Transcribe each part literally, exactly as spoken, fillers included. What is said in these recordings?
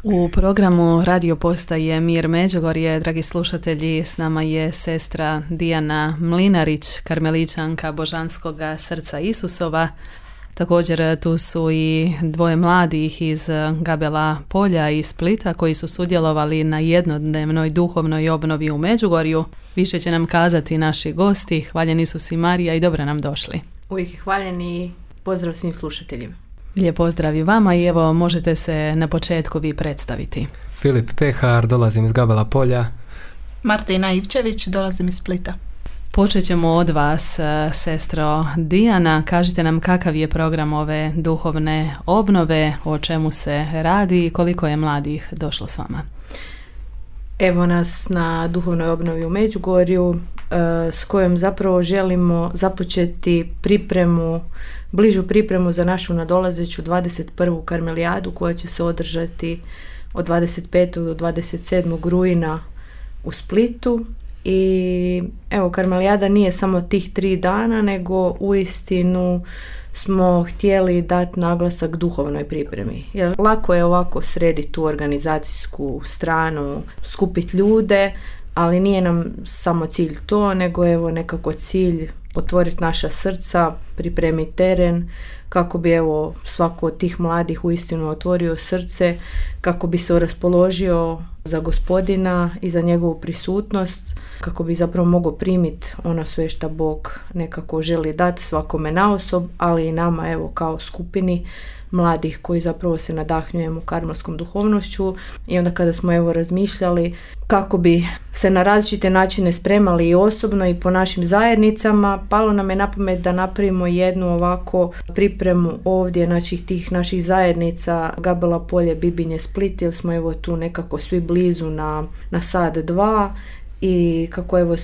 U programu radio postaje Mir Međugorje, dragi slušatelji, s nama je sestra Dijana Mlinarić, karmeličanka Božanskoga srca Isusova. Također tu su i dvoje mladih iz Gabela Polja i Splita koji su sudjelovali na jednodnevnoj duhovnoj obnovi u Međugorju. Više će nam kazati naši gosti. Hvaljen Isus i Marija i dobro nam došli. Uvijek je hvaljen i pozdrav svim slušateljima. Lijep pozdrav i vama i evo možete se na početku vi predstaviti. Filip Pehar, dolazim iz Gabela Polja. Martina Ivčević, dolazim iz Splita. Počet ćemo od vas, sestro Dijana. Kažite nam kakav je program ove duhovne obnove, o čemu se radi i koliko je mladih došlo s vama. Evo nas na duhovnoj obnovi u Međugorju s kojom zapravo želimo započeti pripremu, bližu pripremu za našu nadolazeću dvadeset prvu karmelijadu koja će se održati od dvadeset petog do dvadeset sedmog rujna u Splitu. I evo, karmelijada nije samo tih tri dana, nego uistinu smo htjeli dati naglasak duhovnoj pripremi. Jer lako je ovako srediti tu organizacijsku stranu, skupiti ljude, ali nije nam samo cilj to, nego evo nekako cilj otvoriti naša srca, pripremiti teren, kako bi evo svako od tih mladih uistinu otvorio srce, kako bi se raspoložio za Gospodina i za njegovu prisutnost, kako bi zapravo mogao primiti ono sve što Bog nekako želi dati svakome naosob, ali i nama evo kao skupini mladih koji zapravo se nadahnjujemo karmelskom duhovnošću. I onda kada smo evo razmišljali kako bi se na različite načine spremali i osobno i po našim zajednicama, palo nam je na pamet da napravimo jednu ovako pripremu ovdje, znači tih naših zajednica Gabela Polje, Bibinje, Split, jer smo evo tu nekako svi blizu na, na sad dva i kako evo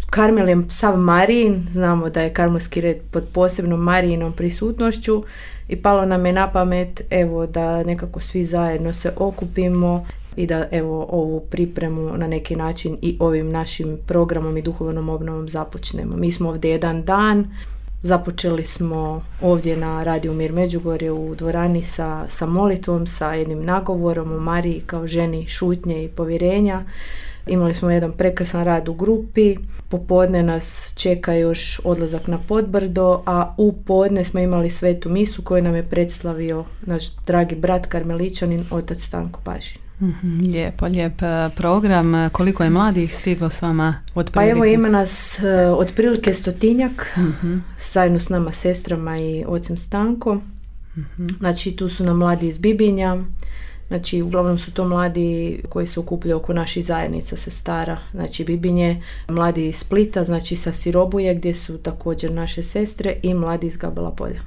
Karmel je sav Marijin, znamo da je karmelski red pod posebnom Marijinom prisutnošću i palo nam je na pamet evo da nekako svi zajedno se okupimo i da evo ovu pripremu na neki način i ovim našim programom i duhovnom obnovom započnemo. Mi smo ovdje jedan dan, započeli smo ovdje na Radio Mir Međugorje u dvorani sa, sa molitvom, sa jednim nagovorom o Mariji kao ženi šutnje i povjerenja. Imali smo jedan prekrasan rad u grupi, popodne nas čeka još odlazak na Podbrdo, a u podne smo imali svetu misu koju nam je predstavio naš dragi brat karmeličanin, otac Stanko Pažin. Mm-hmm, lijepo, lijep program. Koliko je mladih stiglo s vama otprilike? Pa evo ima nas uh, otprilike stotinjak, mm-hmm. zajedno s nama sestrama i ocem Stanko. Mm-hmm. Znači tu su nam mladi iz Bibinja. Znači, uglavnom su to mladi koji se okupljaju oko naših zajednica sestara, znači Bibinje, mladi iz Splita, znači sa Sirobuje gdje su također naše sestre i mladi iz Gabela Polja.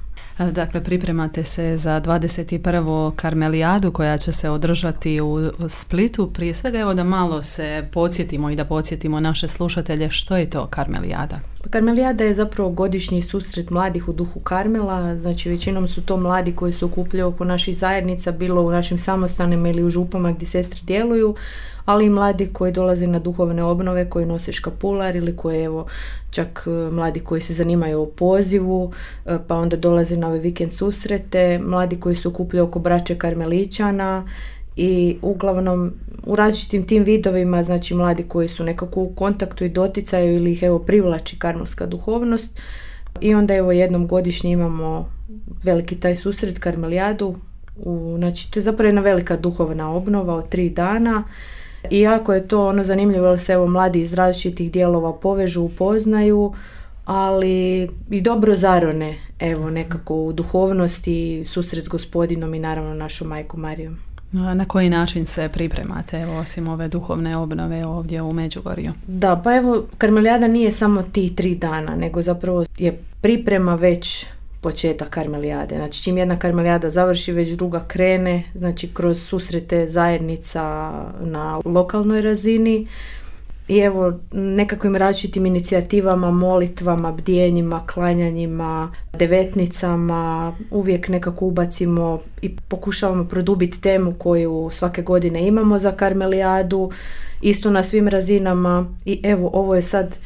Dakle, pripremate se za dvadeset prvu karmelijadu koja će se održati u Splitu. Prije svega evo da malo se podsjetimo i da podsjetimo naše slušatelje što je to karmelijada. Karmelijada je zapravo godišnji susret mladih u duhu Karmela, znači većinom su to mladi koji se okupljaju oko naših zajednica, bilo u našim samostanima ili u župama gdje sestre djeluju, ali i mladi koji dolaze na duhovne obnove, koji nose škapular ili koji evo čak mladi koji se zanimaju o pozivu, pa onda dolaze na ove vikend susrete, mladi koji se okupljaju oko braće karmeličana i uglavnom u različitim tim vidovima, znači mladi koji su nekako u kontaktu i doticaju ili ih evo privlači karmelska duhovnost. I onda evo jednom godišnje imamo veliki taj susret karmelijadu, u, znači to je zapravo jedna velika duhovna obnova od tri dana. I jako je to ono zanimljivo jer se evo mladi iz različitih dijelova povežu, upoznaju, ali i dobro zarone evo nekako u duhovnosti, susret s Gospodinom i naravno našom majkom Marijom. Na koji način se pripremate, evo, osim ove duhovne obnove ovdje u Međugorju? Da, pa evo, karmelijada nije samo ti tri dana, nego zapravo je priprema već početak karmelijade. Znači, čim jedna karmelijada završi, već druga krene, znači kroz susrete zajednica na lokalnoj razini. I evo, nekakvim različitim inicijativama, molitvama, bdjenjima, klanjanjima, devetnicama, uvijek nekako ubacimo i pokušavamo produbiti temu koju svake godine imamo za karmelijadu, isto na svim razinama. I evo, ovo je sad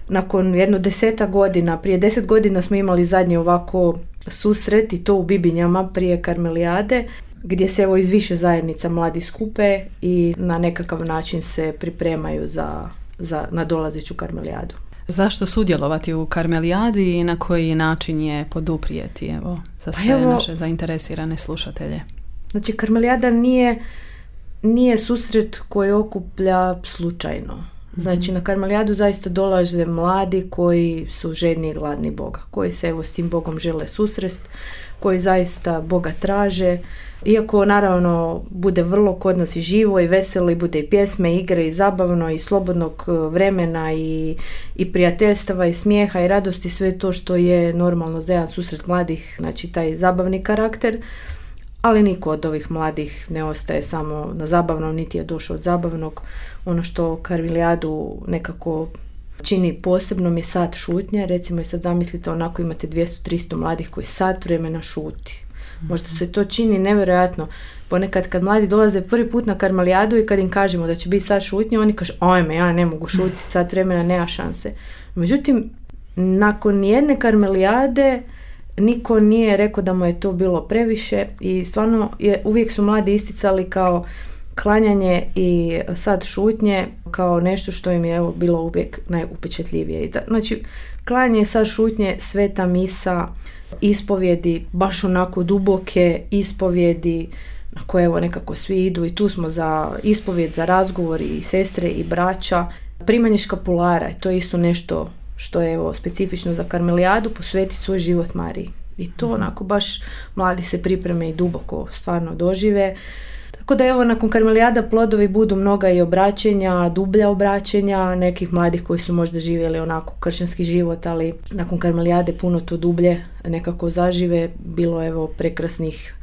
nakon jedno deseta godina, prije deset godina smo imali zadnji ovako susret i to u Bibinjama prije karmelijade. gdje se evo iz više zajednica mladi skupe i na nekakav način se pripremaju za, za nadolazeću karmelijadu. Zašto sudjelovati u karmelijadi i na koji način je poduprijeti, evo, za sve evo, naše zainteresirane slušatelje? Znači, karmelijada nije, nije susret koji okuplja slučajno. Znači, na karmelijadu zaista dolaze mladi koji su žedni i gladni Boga, koji se evo s tim Bogom žele susrest, koji zaista Boga traže. Iako naravno bude vrlo kod nas i živo i veselo i bude i pjesme, igre i zabavno i slobodnog vremena i, i prijateljstava i smijeha i radosti, sve to što je normalno za jedan susret mladih, znači taj zabavni karakter, ali niko od ovih mladih ne ostaje samo na zabavnom, niti je došao od zabavnog. Ono što karmelijadu nekako čini posebnom je sat šutnje. Recimo i sad zamislite, onako imate dvjesto do tristo mladih koji sat vremena šuti. Možda se to čini nevjerojatno. Ponekad kad mladi dolaze prvi put na karmelijadu i kad im kažemo da će biti sat šutnje, oni kažu, ajme, ja ne mogu šutiti sat vremena, nema šanse. Međutim, nakon jedne karmelijade niko nije rekao da mu je to bilo previše i stvarno je, uvijek su mladi isticali kao klanjanje i sat šutnje kao nešto što im je evo bilo uvijek najupečetljivije. Znači, klanjanje i sat šutnje, sveta misa, ispovjedi, baš onako duboke ispovjedi na koje evo nekako svi idu i tu smo za ispovjed, za razgovor i sestre i braća. Primanje škapulara, to je isto nešto što je evo specifično za karmelijadu, posveti svoj život Mariji. I to onako baš mladi se pripreme i duboko stvarno dožive. Tako da evo nakon karmelijada plodovi budu mnoga i obraćenja, dublja obraćenja, nekih mladih koji su možda živjeli onako kršćanski život, ali nakon karmelijade puno to dublje nekako zažive. Bilo evo prekrasnih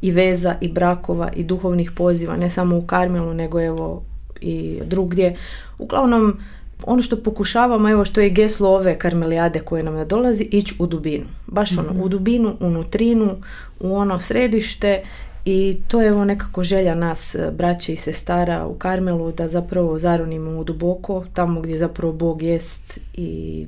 i veza i brakova i duhovnih poziva, ne samo u Karmelu nego evo i drugdje. Uglavnom, ono što pokušavamo, evo što je geslo ove karmelijade koje nam nadolazi, ići u dubinu. Baš ono, mm-hmm. u dubinu, u nutrinu, u ono središte. I to je evo nekako želja nas, braće i sestara u Karmelu, da zapravo zaronimo u duboko, tamo gdje zapravo Bog jest. I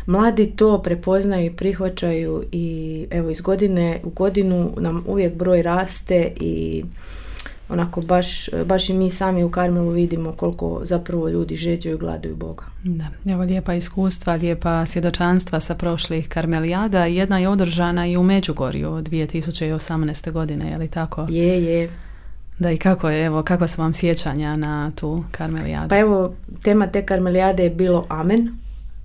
mladi to prepoznaju i prihvaćaju i evo iz godine u godinu nam uvijek broj raste i onako baš, baš i mi sami u Karmelu vidimo koliko zapravo ljudi žeđaju i gladuju Boga. Da, evo lijepa iskustva, lijepa svjedočanstva sa prošlih karmelijada. Jedna je održana i u Međugorju od dvije tisuće osamnaeste. godine, je li tako? Je, je. Da, i kako je, evo, kakva su vam sjećanja na tu karmelijadu? Pa evo, tema te karmelijade je bilo Amen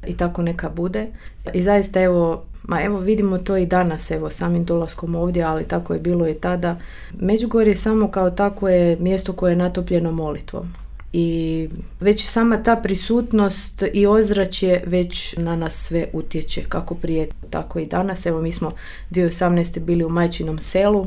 i tako neka bude. I zaista evo, ma evo vidimo to i danas, evo samim dolaskom ovdje, ali tako je bilo i tada. Međugorje samo kao tako je mjesto koje je natopljeno molitvom. I već sama ta prisutnost i ozračje već na nas sve utječe, kako prije, tako i danas. Evo mi smo dvije tisuće osamnaeste. bili u Majčinom selu,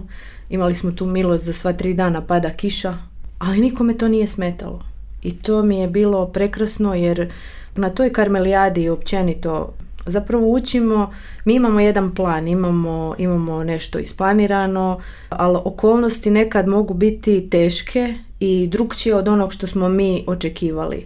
imali smo tu milost za sva tri dana pada kiša, ali nikome to nije smetalo. I to mi je bilo prekrasno jer na toj karmelijadi i općenito zapravo učimo, mi imamo jedan plan, imamo, imamo nešto isplanirano, ali okolnosti nekad mogu biti teške i drukčije od onog što smo mi očekivali.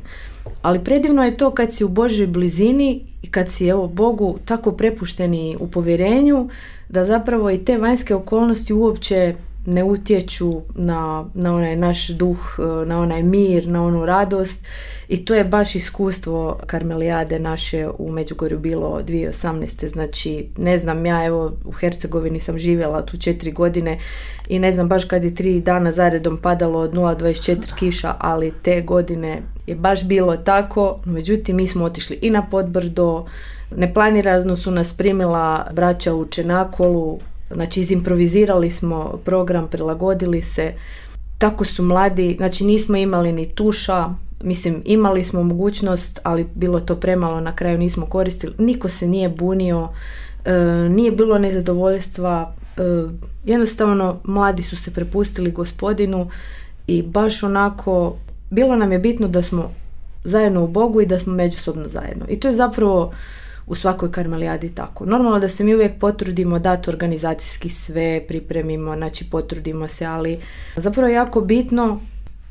Ali predivno je to kad si u Božoj blizini i kad si evo Bogu tako prepušteni u povjerenju, da zapravo i te vanjske okolnosti uopće ne utječu na, na onaj naš duh, na onaj mir, na onu radost. I to je baš iskustvo karmelijade naše u Međugorju bilo dvije tisuće osamnaeste. Znači, ne znam, ja evo u Hercegovini sam živjela tu četiri godine i ne znam baš kad je tri dana zaredom padalo od nula zarez dvadeset četiri kiša, ali te godine je baš bilo tako. Međutim, mi smo otišli i na Podbrdo, neplanirano su nas primila braća u Čenakolu. Znači, izimprovizirali smo program, prilagodili se. Tako su mladi, znači nismo imali ni tuša, mislim imali smo mogućnost, ali bilo to premalo, na kraju nismo koristili. Niko se nije bunio, e, nije bilo nezadovoljstva, e, jednostavno mladi su se prepustili Gospodinu i baš onako, bilo nam je bitno da smo zajedno u Bogu i da smo međusobno zajedno. I to je zapravo u svakoj karmelijadi tako. Normalno da se mi uvijek potrudimo dati organizacijski sve, pripremimo, znači potrudimo se, ali zapravo je jako bitno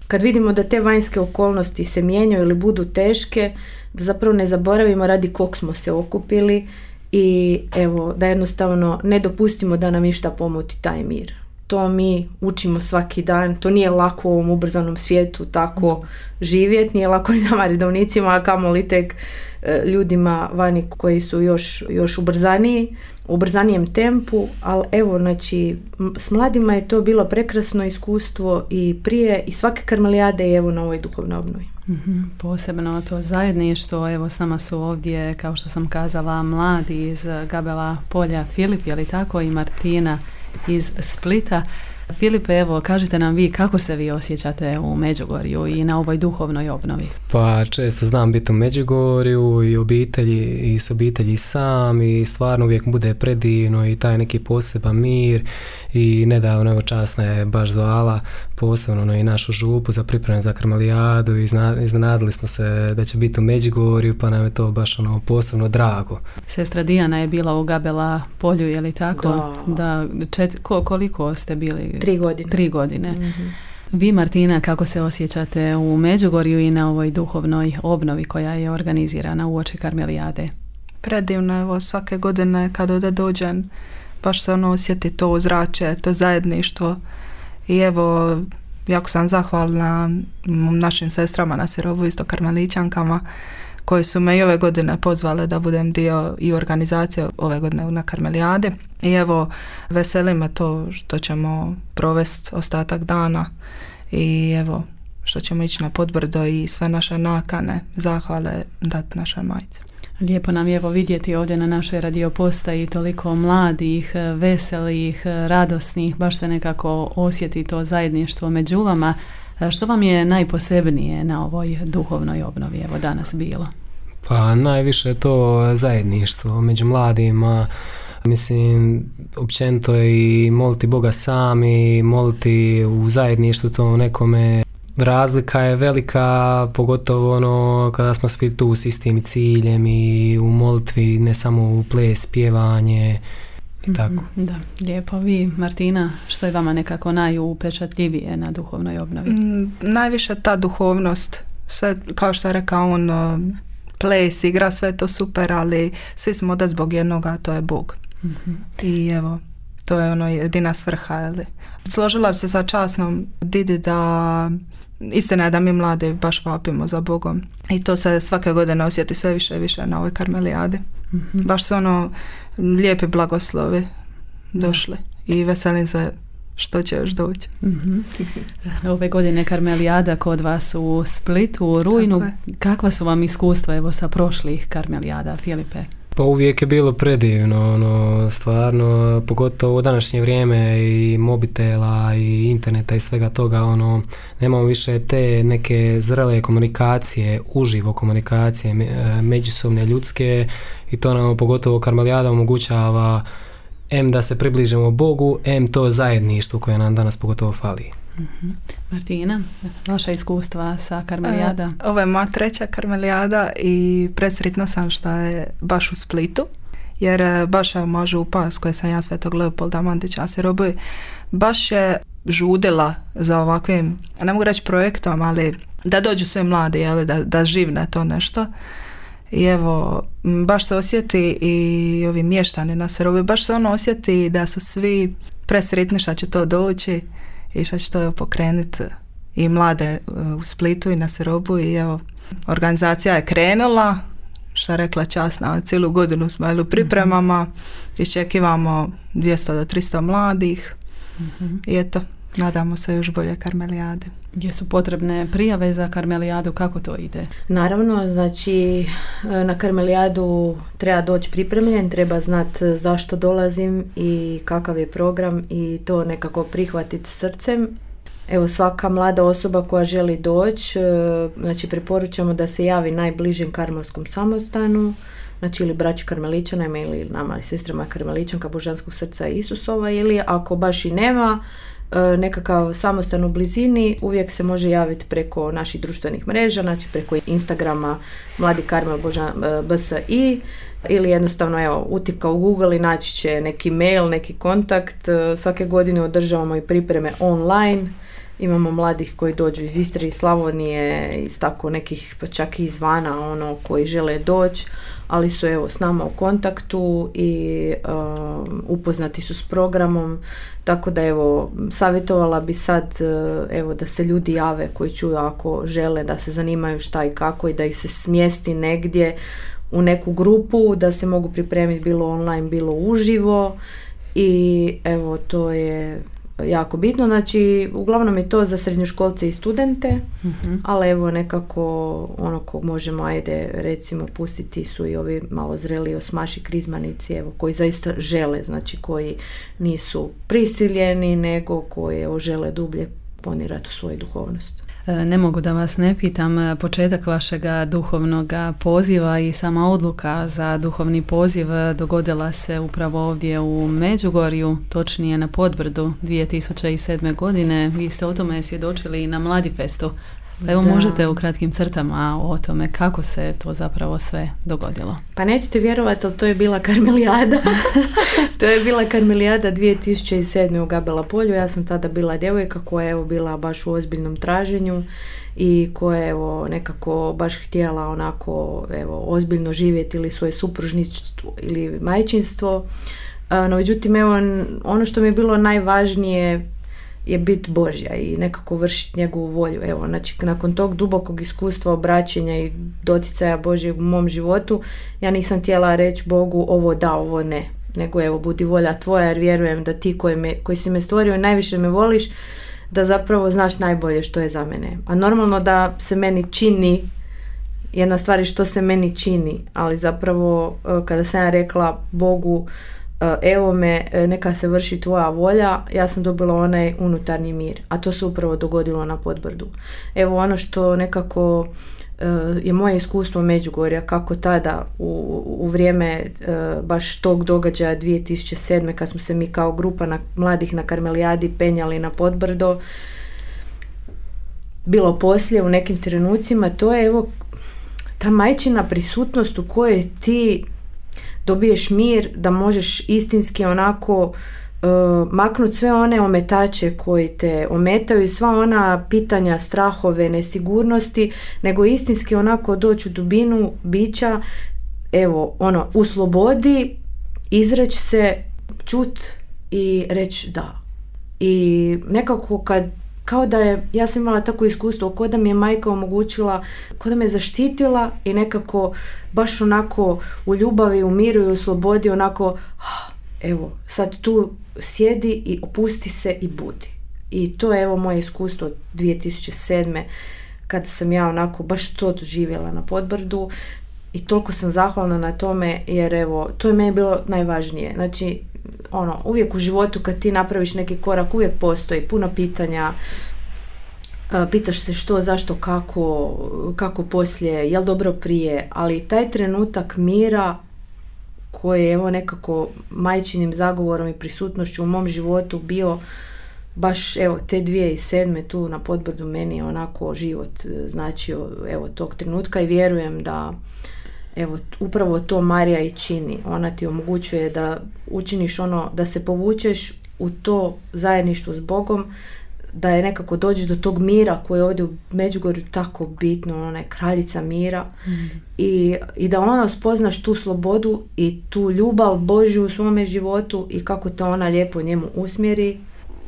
kad vidimo da te vanjske okolnosti se mijenjaju ili budu teške, da zapravo ne zaboravimo radi kog smo se okupili i evo, da jednostavno ne dopustimo da nam išta pomuti taj mir. to mi učimo svaki dan, to nije lako u ovom ubrzanom svijetu tako živjeti, nije lako ni nama redovnicima, a kamoli tek e, ljudima vani koji su još, još ubrzaniji, u ubrzanijem tempu, ali evo, znači, s mladima je to bilo prekrasno iskustvo i prije i svake karmelijade i evo na ovoj duhovnoj obnovi. Mm-hmm. Posebno to zajedništvo, evo s nama su ovdje, kao što sam kazala, mladi iz Gabela polja, Filip, je li tako, i Martina iz Splita. Filipe, evo, kažite nam vi kako se vi osjećate u Međugorju i na ovoj duhovnoj obnovi? Pa često znam biti u Međugorju i obitelji i s obitelji sam i stvarno uvijek bude predivno i taj neki poseban mir i nedavno evo časna je baš zvala posebno no, i našu župu za pripremu za karmelijadu i iznenadili smo se da će biti u Međugorju pa nam je to baš ono posebno drago. Sestra Dijana je bila u Gabela polju, je li tako? Da. da čet, ko, koliko ste bili? Tri godine. Tri godine. Mm-hmm. Vi, Martina, kako se osjećate u Međugorju i na ovoj duhovnoj obnovi koja je organizirana uoči karmelijade? Predivno, evo, svake godine kad ovdje dođem, baš se ono osjeti to ozračje, to zajedništvo i evo, jako sam zahvalna našim sestrama na Sirobu, isto karmelićankama, koje su me i ove godine pozvale da budem dio i organizacije ove godine na karmelijadi. I evo, veseli me to što ćemo provesti ostatak dana i evo, što ćemo ići na Podbrdo i sve naše nakane, zahvale dati našoj majci. Lijepo nam je evo vidjeti ovdje na našoj radio postaji toliko mladih, veselih, radosnih, baš se nekako osjeti to zajedništvo među vama. Što vam je najposebnije na ovoj duhovnoj obnovi evo danas bilo? Pa najviše to zajedništvo među mladima, mislim općenito i moliti Boga sami, moliti u zajedništvu to nekome. Razlika je velika, pogotovo ono kada smo svi tu s istim ciljem i u molitvi, ne samo u ples, pjevanje i tako. Mm, da, lijepo. Vi, Martina, što je vama nekako najupečatljivije na duhovnoj obnovi? Mm, najviše ta duhovnost, sve kao što je rekao on, ples, igra, sve to super, ali svi smo da zbog jednoga, to je Bog. Mm-hmm. I evo, to je ono jedina svrha. Ali. Složila bi se sa časnom Didi da istina je da mi mladi baš vapimo za Bogom i to se svake godine osjeti sve više i više na ovoj karmelijadi. Mm-hmm. Baš su ono lijepi blagoslovi došli i veselim se što će još doći. Mm-hmm. Ove godine karmelijada kod vas u Splitu, u rujnu. Kakva su vam iskustva evo sa prošlih karmelijada, Filipe? Pa uvijek je bilo predivno, ono, stvarno, pogotovo u današnje vrijeme i mobitela i interneta i svega toga, ono, nemamo više te neke zrele komunikacije, uživo komunikacije, međusobne ljudske i to nam pogotovo karmelijada omogućava em da se približimo Bogu, em to zajedništvo koje nam danas pogotovo fali. Mm-hmm. Martina, vaša iskustva sa karmelijada? E, ovo je moja treća karmelijada i presretna sam što je baš u Splitu, jer baš je moja župa s koje sam ja Svetog Leopolda Mandića Sirobi, baš je žudila za ovakvim, ne mogu reći projektom, ali da dođu sve mladi, jeli, da, da živne to nešto. I evo, baš se osjeti i ovi mještani na Sirobi, baš se ono osjeti da su svi presretni što će to doći i što će to pokrenuti i mlade u Splitu i na Sirobu i evo, organizacija je krenula, što je rekla časna, cijelu godinu smo u pripremama, iščekivamo dvjesto do tristo mladih mm-hmm. i eto, nadamo se još bolje karmelijade. Gdje su potrebne prijave za karmelijadu, kako to ide? Naravno, znači na karmelijadu treba doći pripremljen, treba znati zašto dolazim i kakav je program i to nekako prihvatiti srcem. Evo, svaka mlada osoba koja želi doći, znači preporučamo da se javi najbližem karmelskom samostanu, znači ili braći karmeličanima ili nama i sestrama karmeličanka Božanskog srca Isusova, ili ako baš i nema nekakav samostan u blizini, uvijek se može javiti preko naših društvenih mreža, znači preko Instagrama Mladi Karmel Božan, B S I, ili jednostavno evo, utipka u Google i naći će neki mail, neki kontakt. Svake godine održavamo i pripreme online, Imamo mladih koji dođu iz Istre, iz Slavonije, iz tako nekih, pa čak i izvana, ono, koji žele doći, ali su evo s nama u kontaktu i um, upoznati su s programom, tako da evo, savjetovala bi sad evo da se ljudi jave koji čuju ako žele, da se zanimaju šta i kako i da ih se smjesti negdje u neku grupu, da se mogu pripremiti bilo online, bilo uživo i evo to je jako bitno, znači uglavnom je to za srednjoškolce i studente, mm-hmm. ali evo nekako ono ko možemo, ajde recimo pustiti su i ovi malo zreli osmaši krizmanici, evo koji zaista žele, znači koji nisu prisiljeni nego koji evo, žele dublje ponirati u svoju duhovnost. Ne mogu da vas ne pitam, početak vašega duhovnog poziva i sama odluka za duhovni poziv dogodila se upravo ovdje u Međugorju, točnije na Podbrdu dvije tisuće sedme. godine. Vi ste o tome svjedočili i na Mladifestu. Pa evo da. Možete u kratkim crtama o tome kako se to zapravo sve dogodilo. Pa nećete vjerovati, ali to je bila karmelijada. To je bila karmelijada dvije tisuće sedme. u Gabela polju. Ja sam tada bila djevojka koja je evo bila baš u ozbiljnom traženju i koja je evo nekako baš htjela onako evo ozbiljno živjeti ili svoje supružništvo ili majčinstvo. No međutim evo ono što mi je bilo najvažnije je bit Božja i nekako vršiti njegovu volju. Evo, znači, nakon tog dubokog iskustva obraćenja i doticaja Božjeg u mom životu, ja nisam htjela reći Bogu ovo da, ovo ne. Nego evo, budi volja tvoja jer vjerujem da ti koji, me, koji si me stvorio i najviše me voliš, da zapravo znaš najbolje što je za mene. A normalno da se meni čini, jedna stvar je što se meni čini, ali zapravo kada sam ja rekla Bogu evo me, neka se vrši tvoja volja, ja sam dobila onaj unutarnji mir, a to se upravo dogodilo na Podbrdu. Evo ono što nekako je moje iskustvo Međugorja, kako tada u, u vrijeme baš tog događaja dvije tisuće sedme. kad smo se mi kao grupa na, mladih na Karmelijadi penjali na Podbrdo, bilo poslije u nekim trenucima, to je evo ta majčina prisutnost u kojoj ti dobiješ mir da možeš istinski onako uh, maknuti sve one ometače koji te ometaju i sva ona pitanja, strahove, nesigurnosti, nego istinski onako doći u dubinu bića, evo, ono, u slobodi, izreći se, čut i reći da. I nekako kad kao da je, ja sam imala tako iskustvo, kao da mi je majka omogućila, kao da me zaštitila i nekako baš onako u ljubavi, u miru i u slobodi onako, evo, sad tu sjedi i opusti se i budi. I to je evo moje iskustvo dvije tisuće sedme. kada sam ja onako baš to doživjela na Podbrdu i toliko sam zahvalna na tome jer evo, to je meni bilo najvažnije. Znači, ono, uvijek u životu kad ti napraviš neki korak, uvijek postoji puno pitanja, pitaš se što, zašto, kako, kako poslije, jel dobro prije, ali taj trenutak mira koji je evo nekako majčinim zagovorom i prisutnošću u mom životu bio baš evo te dvije tisuće sedme. tu na Podbrdu meni je onako život značio evo tog trenutka i vjerujem da evo upravo to Marija i čini. Ona ti omogućuje da učiniš ono, da se povučeš u to zajedništvo s Bogom, da je nekako dođeš do tog mira koji je ovdje u Međugorju tako bitno, ona je kraljica mira mm. I, i da ona spoznaš tu slobodu i tu ljubav Božju u svome životu i kako to ona lijepo njemu usmjeri.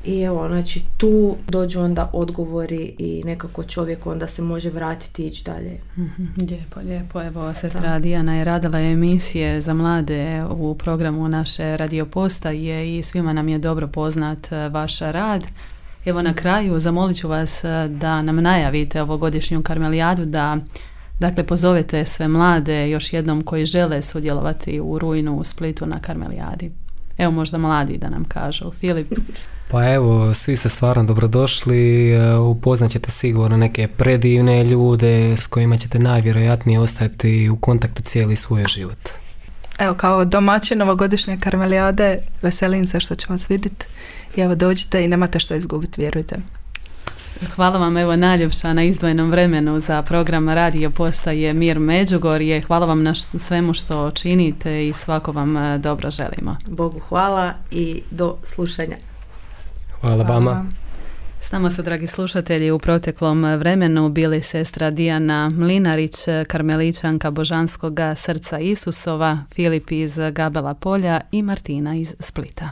I evo, znači tu dođu onda odgovori i nekako čovjek onda se može vratiti i ići dalje. Mm-hmm. Lijepo, lijepo. Evo, sestra Dijana je radila emisije za mlade u programu naše radio postaje i svima nam je dobro poznat vaš rad. Evo na kraju zamolit ću vas da nam najavite ovogodišnju Karmelijadu, da dakle pozovete sve mlade još jednom koji žele sudjelovati u rujnu u Splitu na Karmelijadi. Evo možda mladi da nam kažu. Filip? Pa evo, svi ste stvarno dobrodošli, upoznat ćete sigurno neke predivne ljude s kojima ćete najvjerojatnije ostati u kontaktu cijeli svoj život. Evo, kao domaćin ovogodišnje Karmelijade, veselim se što ću vas vidjeti i evo dođite i nemate što izgubiti, vjerujte. Hvala vam evo najljepša na izdvojenom vremenu za program radio postaje Mir Međugorje. Hvala vam na svemu što činite i svako vam dobro želimo. Bogu hvala i do slušanja. Hvala, hvala vama. S nama su, dragi slušatelji, u proteklom vremenu bili sestra Dijana Mlinarić, karmelićanka Božanskoga srca Isusova, Filip iz Gabela Polja i Martina iz Splita.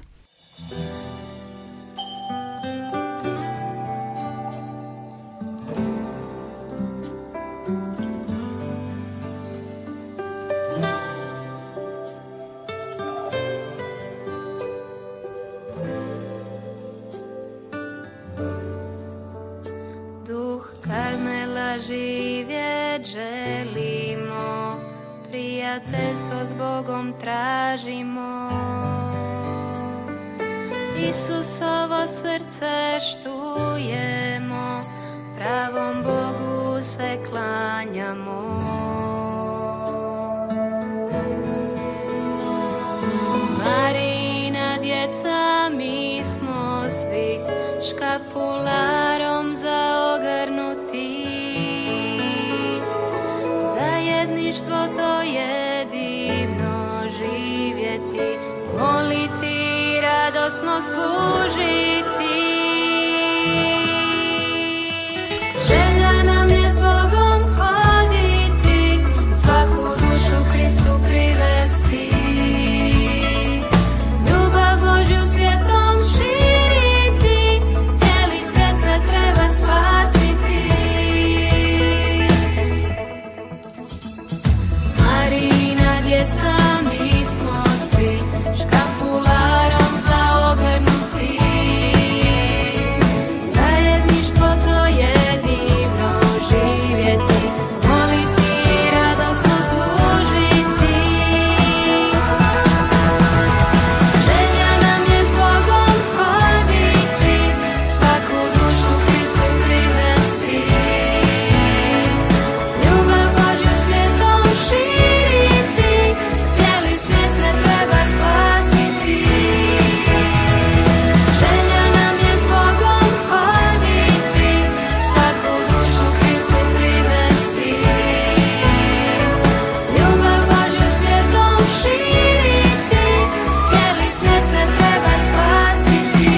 Živjet želimo, prijateljstvo s Bogom tražimo. Isusovo srce štujemo, pravom Bogu se klanjamo. Marina djeca, mi smo svi škapularom zaogrnuti. Zajedništvo to je divno živjeti, moliti, radosno služiti. Želja nam je s Bogom hoditi, svaku dušu Kristu privesti. Ljubav Božju svijetom širiti, cijeli svijet se treba spasiti. Marina djeca, mi smo svi škapularom zaogrnuti. Zajedništvo to je divno živjeti, moliti, radosno služiti. Želja nam je s Bogom hoditi, svaku dušu Kristu privesti. Ljubav Božju svijetom širiti, cijeli svijet se treba spasiti. Želja nam je s Bogom hoditi, svaku dušu Kristu privesti. Ljubav Božju svijetom širiti, cijeli svijet se treba spasiti.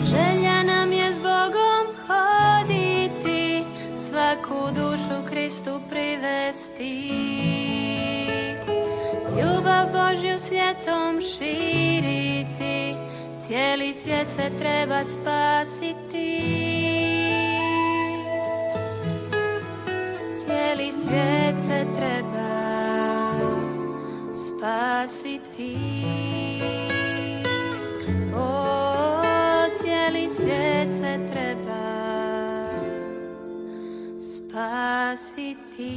Želja nam je s Bogom hoditi, svaku dušu Kristu privesti. Ljubav Božju svijetom širiti, cijeli svijet se treba spasiti. Cijeli svijet se treba spasiti. O, cijeli svijet se treba spasiti.